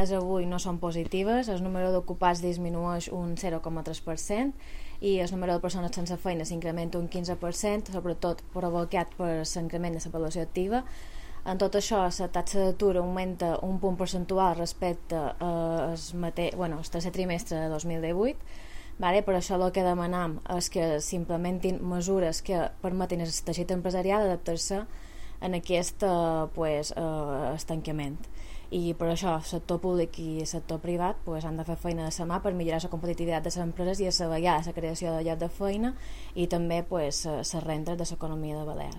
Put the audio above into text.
dades avui no són positives, el número d'ocupats disminueix un 0,3% i el número de persones sense feina s'incrementa un 15%, sobretot provocat per l'increment de la població activa. En tot això, la taxa d'atur augmenta un punt percentual respecte al tercer trimestre de 2018. Per això el que demanam és que s'implementin mesures que permetin al teixit empresarial adaptar-se en aquest estancament. I per això el sector públic i el sector privat han de fer feina de la mà per millorar la competitivitat de les empreses i assegurar la creació de llocs de feina i també les rendes de l'economia de Balears.